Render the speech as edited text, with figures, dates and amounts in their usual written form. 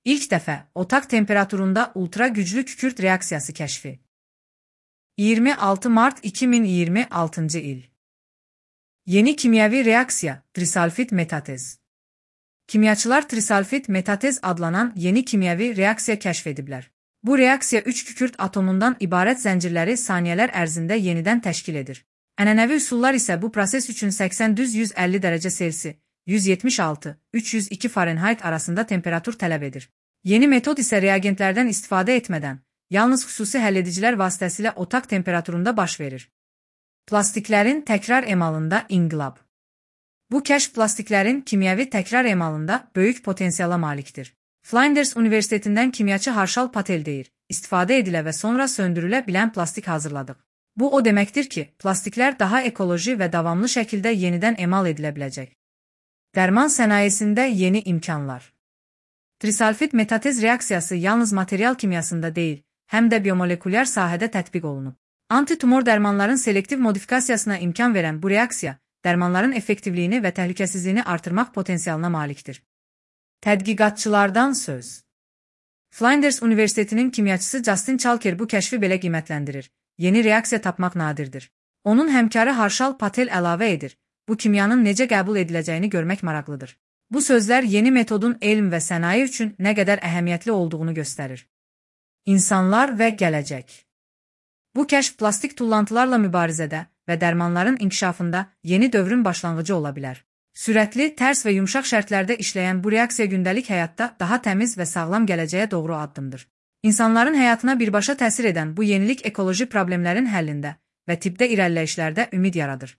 İlk dəfə otaq temperaturunda ultra güclü kükürt reaksiyası kəşfi. 26 Mart 2026 il. Yeni kimyəvi reaksiya, trisalfit metatez. Kimyaçılar trisalfit metatez adlanan yeni kimyəvi reaksiya kəşf ediblər. Bu reaksiya 3 kükürt atomundan ibarət zəncirləri saniyələr ərzində yenidən təşkil edir. Ənənəvi üsullar isə bu proses üçün 80-150 dərəcə Selsi, 176-302 Fahrenheit arasında temperatur tələb edir. Yeni metod isə reagentlərdən istifadə etmədən, yalnız xüsusi həlledicilər vasitəsilə otaq temperaturunda baş verir. Plastiklərin təkrar emalında inqilab. Bu kəşf plastiklərin kimyəvi təkrar emalında böyük potensiala malikdir. Flinders Universitetindən kimyaçı Harshal Patel deyir, istifadə edilə və sonra söndürülə bilən plastik hazırladıq. Bu o deməkdir ki, plastiklər daha ekoloji və davamlı şəkildə yenidən emal edilə biləcək. Dərman sənayesində yeni imkanlar. Trisalfit metatez reaksiyası yalnız material kimyasında deyil, həm də biomolekulyar sahədə tətbiq olunub. Antitumor dərmanların selektiv modifikasiyasına imkan verən bu reaksiya, dərmanların effektivliyini və təhlükəsizliyini artırmaq potensialına malikdir. Tədqiqatçılardan söz. Flinders Universitetinin kimyaçısı Justin Chalker bu kəşfi belə qiymətləndirir. Yeni reaksiya tapmaq nadirdir. Onun həmkarı Harshal Patel əlavə edir. Bu kimyanın necə qəbul ediləcəyini görmək maraqlıdır. Bu sözlər yeni metodun elm və sənaye üçün nə qədər əhəmiyyətli olduğunu göstərir. İnsanlar və gələcək. Bu kəşf plastik tullantılarla mübarizədə və dərmanların inkişafında yeni dövrün başlanğıcı ola bilər. Sürətli, tərs və yumşaq şərtlərdə işləyən bu reaksiya gündəlik həyatda daha təmiz və sağlam gələcəyə doğru addımdır. İnsanların həyatına birbaşa təsir edən bu yenilik ekoloji problemlərin həllində və tibbdə irəliləyişlərdə ümid yaradır.